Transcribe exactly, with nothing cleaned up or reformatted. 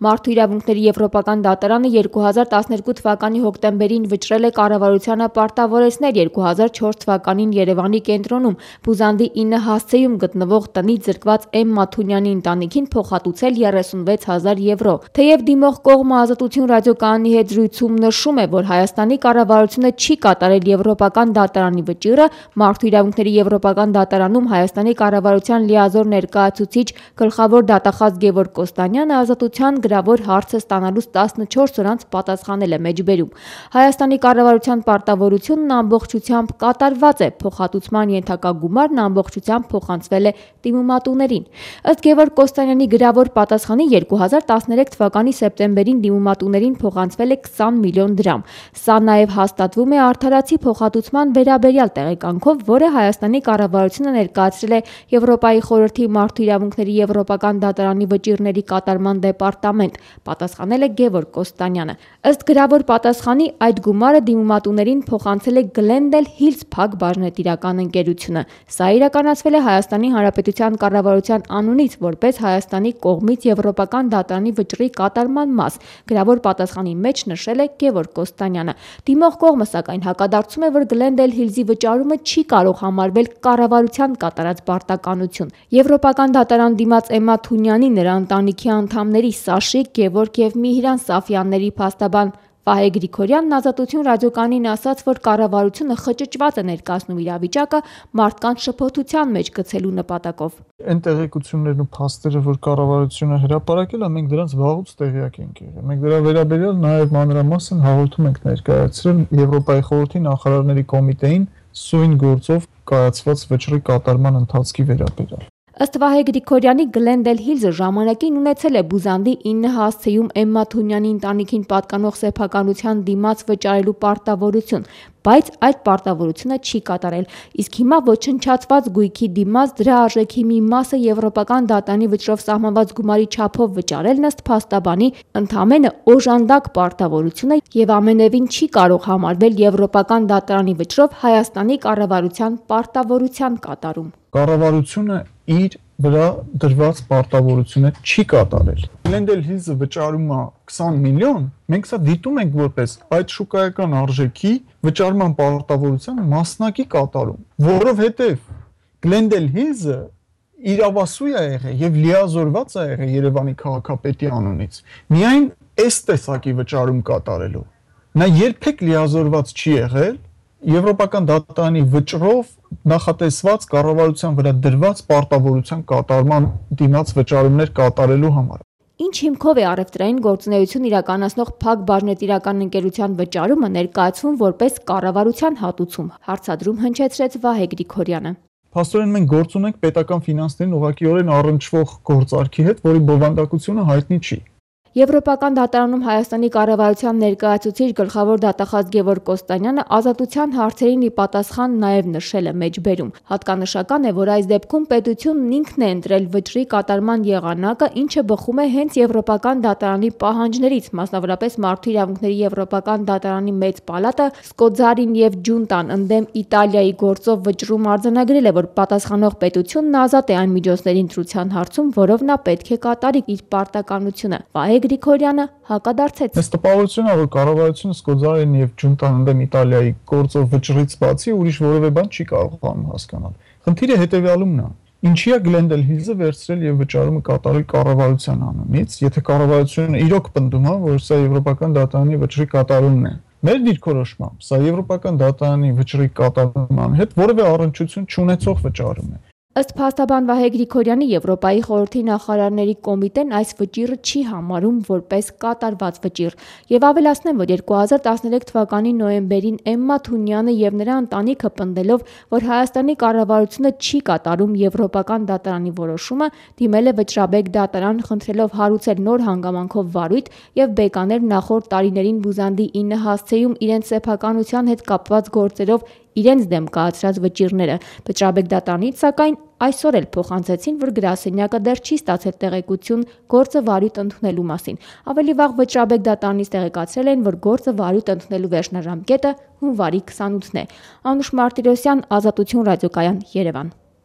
Մարդու իրավունքների եվրոպական դատարանը երկու հազար տասներկու թվականի հոկտեմբերին վճռել է կառավարությանը պարտավորեցնել երկու հազար չորս թվականին Երևանի կենտրոնում Բուզանդի ինը հասցեում գտնվող տնից զրկված Էմ Մաթունյանի ընտանիքին փոխհատուցել երեսունվեց հազար եվրո։ Թեև դիմող կողմը Ազատություն ռադիոկայանի հետ զրույցում նշում է, որ Հայաստանի կառավարությունը չի կատարել եվրոպական դատարանի վճիռը, Մարդու իրավունքների եվրոպական դատարանում Հայաստանի կառավարության լիազոր ներկայացուցիչ գլխավոր դատախազ Գևորգ Կոստանյանը ազատության գրավոր հարցը ստանալուց տասնչորս օր անց պատասխանել է մեջբերում։ Հայաստանի կառավարության պարտավորությունն ամբողջությամբ կատարված է, փոխհատուցման ենթակա գումարն ամբողջությամբ փոխանցվել է դիմումատուներին։ Ըստ Գևորգ Կոստանյանի գրավոր պատասխանի երկու հազար տասներեք թվականի սեպտեմբերին դիմումատուներին փոխանցվել է քսան միլիոն դրամ։ Սա նաև հաստատվում է արդարացի փոխհատուցման վերաբերյալ տեղեկանքով, որը Հայաստանի կառավարությունը ներկայացրել է Եվրոպայի խորհրդի Մարդու իրավունքների եվրոպական դատարանի վճիռների կատարման դեպարտամենտ, պատասխանել է Գևորգ Կոստանյանը։ Ըստ գրավոր պատասխանի, այդ գումարը դիմումատուներին փոխանցել է Glendale Hills Փակ բաժնետիրական ընկերությունը։ Սա իրականացվել է Հայաստանի Հանրապետության կառավարության անունից, որպես Հայաստանի կողմից եվրոպական դատարանի վճռի կատարման մաս, գրավոր պատասխանի մեջ նշել է Գևորգ Կոստանյանը։ Դիմող կողմը սակայն հակադարձում է, որ Glendale Hills-ի վճարումը չի կարող համարվել կառավարության կատարած պարտականություն։ Եվրոպական դատարան դիմաց Էմ Մաթունյանի, նրա ընտանիքի անդամների Սաշիկ, Գևորգ եւ Միհրան Սաֆյանների փաստաբան Վահե Գրիգորյանն Ազատություն ռադիոկայանին ասաց, որ կառավարությունը խճճված է ներկայացնում իրավիճակը մարդկանց շփոթության մեջ գցելու նպատակով։ Այն տեղեկություններն ու փաստերը, որ կառավարությունը հրապարակել է, մենք դրանց վաղուց տեղյակ ենք եղել։ Մենք դրա վերաբերյալ նաև մանրամասն հաղորդում ենք ներկայացրել Եվրոպայի խորհրդի նախարարների կոմիտեին սույն գործով կայացված վճռի կատարման ընթացքի վերաբերյալ։ Ըստ Վահե Գրիգորյանի, Glendale Hills-ը ժամանակին ունեցել է Բուզանդի ինը հասցեում Էմ Մաթունյանի ընտանիքին պատկանող սեփականության դիմաց վճարելու պարտավորություն, բայց այդ պարտավորությունը չի կատարել, իսկ հիմա ոչնչացված գույքի դիմաց դրա արժեքի մի մասը եվրոպական դատարանի վճռով սահմանված գումարի չափով վճարելն ըստ փաստաբանի ընդամենը օժանդակ պարտավորություն է եւ ամենևին չի կարող համարվել եվրոպական դատարանի վճռով Հայաստանի կառավարության պարտավորության կատարում։ Կառավարությունը իր վրա դրված պարտավորությունը չի կատարել։ Glendale Hills-ը վճարում է քսան միլիոն, մենք սա դիտում ենք որպես այդ շուկայական արժեքի վճարման պարտավորության մասնակի կատարում, որովհետև Glendale Hills-ը իրավասու է եղել եւ լիազորված է եղել Երևանի քաղաքապետի անունից։ Միայն այս տեսակի վճարում կատարելու։ Նա երբեք լիազորված չի եղել Եվրոպական դատարանի վճռով նախատեսված կառավարության վրա դրված պարտավորության կատարման դիմաց վճարումներ կատարելու համար։ Ինչ հիմքով է առևտրային գործունեություն իրականացնող Փակ բաժնետիրական ընկերության վճարումը ներկայացվում որպես կառավարության հատուցում, հարցադրում հնչեցրեց Վահե Գրիգորյանը։ Փաստորեն մենք գործ ունենք պետական ֆինանսներին ուղղակիորեն առնչվող գործարքի հետ, որի բովանդակությունը հայտնի չի։ Եվրոպական դատարանում Հայաստանի կառավարության ներկայացուցիչ գլխավոր դատախազ Գևորգ Կոստանյանը ազատության հարցերին ի պատասխան նաև նշել է մեջբերում։ Հատկանշական է, որ այս դեպքում պետությունն ինքն է ընտրել վճռի կատարման եղանակը, ինչը բխում է հենց Եվրոպական դատարանի պահանջներից, մասնավորապես Մարդու իրավունքների Եվրոպական դատարանի մեծ պալատը Սկոձարին եւ Ջունտան ընդդեմ Իտալիայի գործով վճռում արձանագրել է, որ պատասխանող պետությունն ազատ է այն միջոցների ընտրության հարցում, որով նա պետք է կատարի իր պարտականությունը։ Վահե Գրիգորյանը հակադարձեց։ Այս տպավորությունն է, որ կառավարությունը Սկոձարին եւ Ջունտան ընդդեմ Իտալիայի գործով վճռից բացի ուրիշ որևէ բան չի կարողանում հասկանալ։ Խնդիրը հետեւյալումն է. ինչի է Glendale Hills-ը վերցրել եւ վճարումը կատարել կառավարության անունից, եթե կառավարությունը իրոք պնդում է, որ սա Եվրոպական դատարանի վճռի կատարումն է։ Մեր դիրքորոշմամբ սա Եվրոպական դատարանի վճռի կատարման հետ որևէ առնչություն չունեցող վճարում է։ Ըստ փաստաբան Վահե Գրիգորյանի, Եվրոպայի խորհրդի նախարարների կոմիտեն այս վճիռը չի համարում որպես կատարված վճիռ եւ ավելացնեմ, որ երկու հազար տասներեք թվականի նոյեմբերին Էմ Մաթունյանը եւ նրա ընտանիքը պնդելով, որ Հայաստանի կառավարությունը չի կատարում Եվրոպական դատարանի որոշումը, դիմել է վճռաբեկ դատարան, խնդրելով հարուցել նոր հանգամանքով վարույթ եւ բեկաներ նախորդ տարիներին Բուզանդի ինը հասցեում իրենց սեփականության հետ կապված գործերով իրենց դեմ կայացրած վճիռները։ Վճռաբեկ դատարանից սակայն այսօր էլ փոխանցեցին, որ գրասենյակը դեռ չի ստացել տեղեկություն գործը վարույթ ընդունելու մասին։ Ավելի վաղ վճռաբեկ դատարանից տեղեկացրել են, որ գործը վարույթ ընդունելու վերջնաժամկետը հունվարի քսանութն է։ Անուշ Մարտիրոսյան, Ազատություն ռադիոկայան, Երևան։